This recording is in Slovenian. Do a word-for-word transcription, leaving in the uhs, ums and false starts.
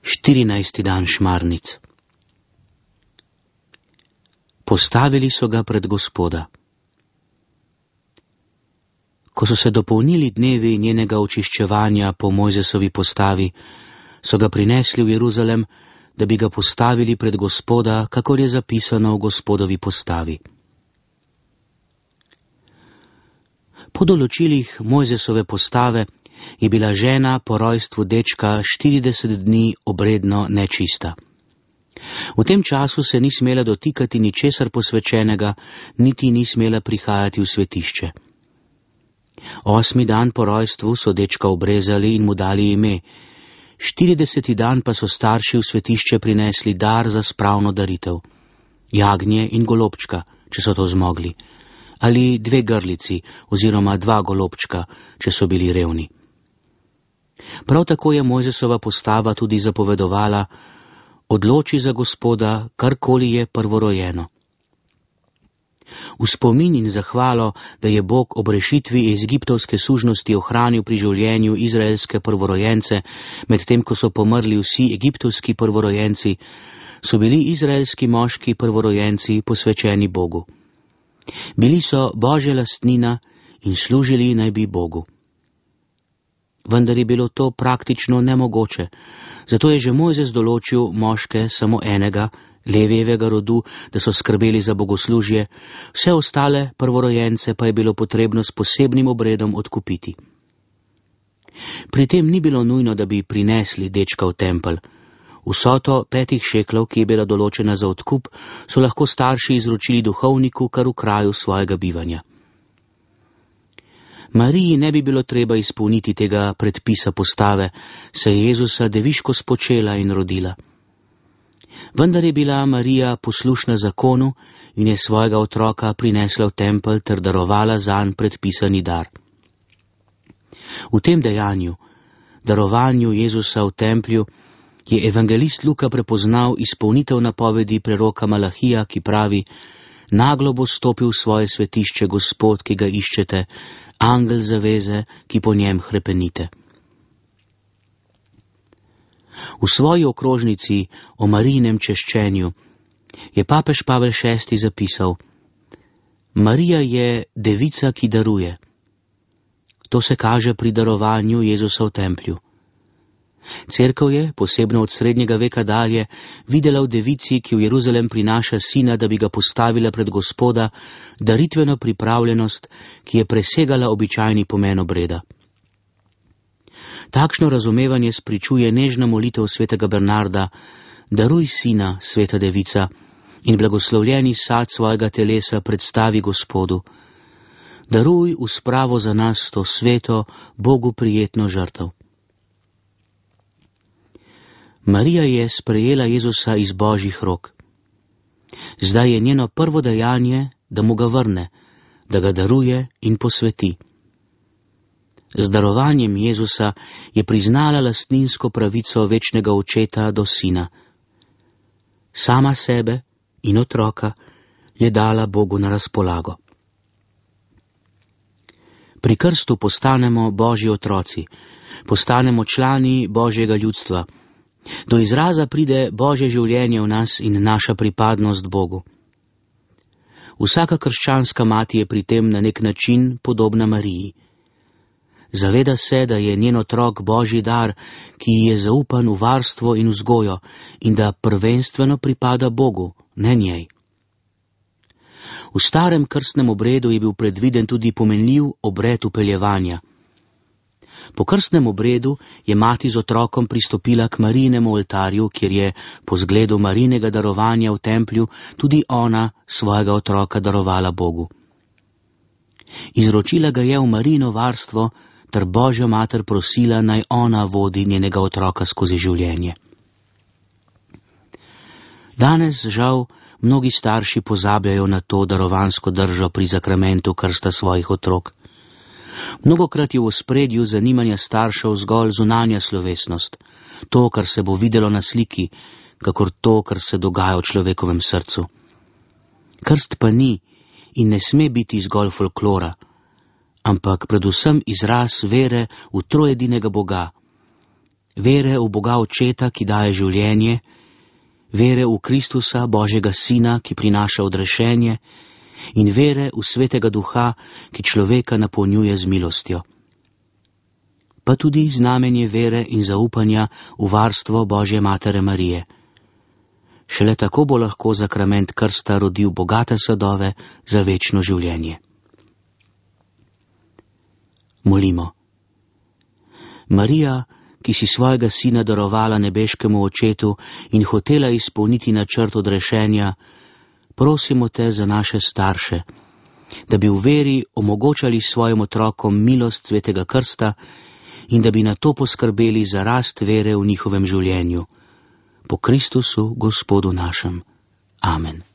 štirinajsti dan šmarnic. Postavili so ga pred Gospoda. Ko so se dopolnili dnevi njenega očiščevanja po Mojzesovi postavi, so ga prinesli v Jeruzalem, da bi ga postavili pred Gospoda, kakor je zapisano v Gospodovi postavi. Po določilih Mojzesove postave je bila žena po rojstvu dečka štirideset dni obredno nečista. V tem času se ni smela dotikati ničesar posvečenega, niti ni smela prihajati v svetišče. Osmi dan po rojstvu so dečka obrezali in mu dali ime, štirideseti dan pa so starši v svetišče prinesli dar za spravno daritev, jagnje in golobčka, če so to zmogli, ali dve grlici oziroma dva golobčka, če so bili revni. Prav tako je Mojzesova postava tudi zapovedovala: odloči za Gospoda, karkoli je prvorojeno. V spomin in zahvalo, da je Bog ob rešitvi iz egiptovske sužnosti ohranil pri življenju izraelske prvorojence, medtem ko so pomrli vsi egiptovski prvorojenci, so bili izraelski moški prvorojenci posvečeni Bogu. Bili so Božja lastnina in služili naj bi Bogu. Vendar je bilo to praktično nemogoče, zato je že Mojzes določil moške samo enega, Levijevega rodu, da so skrbeli za bogoslužje, vse ostale prvorojence pa je bilo potrebno s posebnim obredom odkupiti. Pri tem ni bilo nujno, da bi prinesli dečka v tempelj. Vsoto petih šeklov, ki je bila določena za odkup, so lahko starši izročili duhovniku kar v kraju svojega bivanja. Mariji ne bi bilo treba izpolniti tega predpisa postave, saj je Jezusa deviško spočela in rodila. Vendar je bila Marija poslušna zakonu in je svojega otroka prinesla v tempelj ter darovala zanj predpisani dar. V tem dejanju, darovanju Jezusa v templju, je evangelist Luka prepoznal izpolnitev napovedi preroka Malahija, ki pravi: naglo bo stopil v svoje svetišče Gospod, ki ga iščete, angel zaveze, ki po njem hrepenite. V svoji okrožnici o Marijinem češčenju je papež Pavel šesti zapisal: Marija je devica, ki daruje. To se kaže pri darovanju Jezusa v templju. Cerkev je, posebno od srednjega veka dalje, videla v devici, ki v Jeruzalem prinaša sina, da bi ga postavila pred Gospoda, daritveno pripravljenost, ki je presegala običajni pomen obreda. Takšno razumevanje spričuje nežna molitev svetega Bernarda: daruj sina, sveta devica, in blagoslovljeni sad svojega telesa predstavi Gospodu. Daruj v spravo za nas to sveto, Bogu prijetno žrtev. Marija je sprejela Jezusa iz Božjih rok. Zdaj je njeno prvo dejanje, da mu ga vrne, da ga daruje in posveti. Z darovanjem Jezusa je priznala lastninsko pravico večnega očeta do sina. Sama sebe in otroka je dala Bogu na razpolago. Pri krstu postanemo Božji otroci, postanemo člani Božjega ljudstva. Do izraza pride Božje življenje v nas in naša pripadnost Bogu. Vsaka krščanska mati je pri tem na nek način podobna Mariji. Zaveda se, da je njen otrok Božji dar, ki ji je zaupan v varstvo in vzgojo, in da prvenstveno pripada Bogu, ne njej. V starem krstnem obredu je bil predviden tudi pomenljiv obred upeljevanja. Po krstnem obredu je mati z otrokom pristopila k Marijinemu oltarju, kjer je po zgledu Marijinega darovanja v templju tudi ona svojega otroka darovala Bogu. Izročila ga je v Marijino varstvo, ter Božjo mater prosila, naj ona vodi njenega otroka skozi življenje. Danes, žal, mnogi starši pozabljajo na to darovansko držo pri zakramentu krsta svojih otrok. Mnogokrat je v ospredju zanimanja staršev zgolj zunanja slovesnost, to, kar se bo videlo na sliki, kakor to, kar se dogaja v človekovem srcu. Krst pa ni in ne sme biti zgolj folklora, ampak predvsem izraz vere v trojedinega Boga. vere v Boga Očeta, ki daje življenje, vere v Kristusa, Božjega Sina, ki prinaša odrešenje, in vere v Svetega Duha, ki človeka napolnjuje z milostjo. Pa tudi znamenje vere in zaupanja v varstvo Božje Matere Marije. Šele tako bo lahko zakrament krsta rodil bogate sadove za večno življenje. Molimo. Marija, ki si svojega sina darovala nebeškemu Očetu in hotela izpolniti načrt odrešenja, prosimo te za naše starše, da bi v veri omogočali svojim otrokom milost Svetega krsta in da bi na to poskrbeli za rast vere v njihovem življenju. Po Kristusu, Gospodu našem. Amen.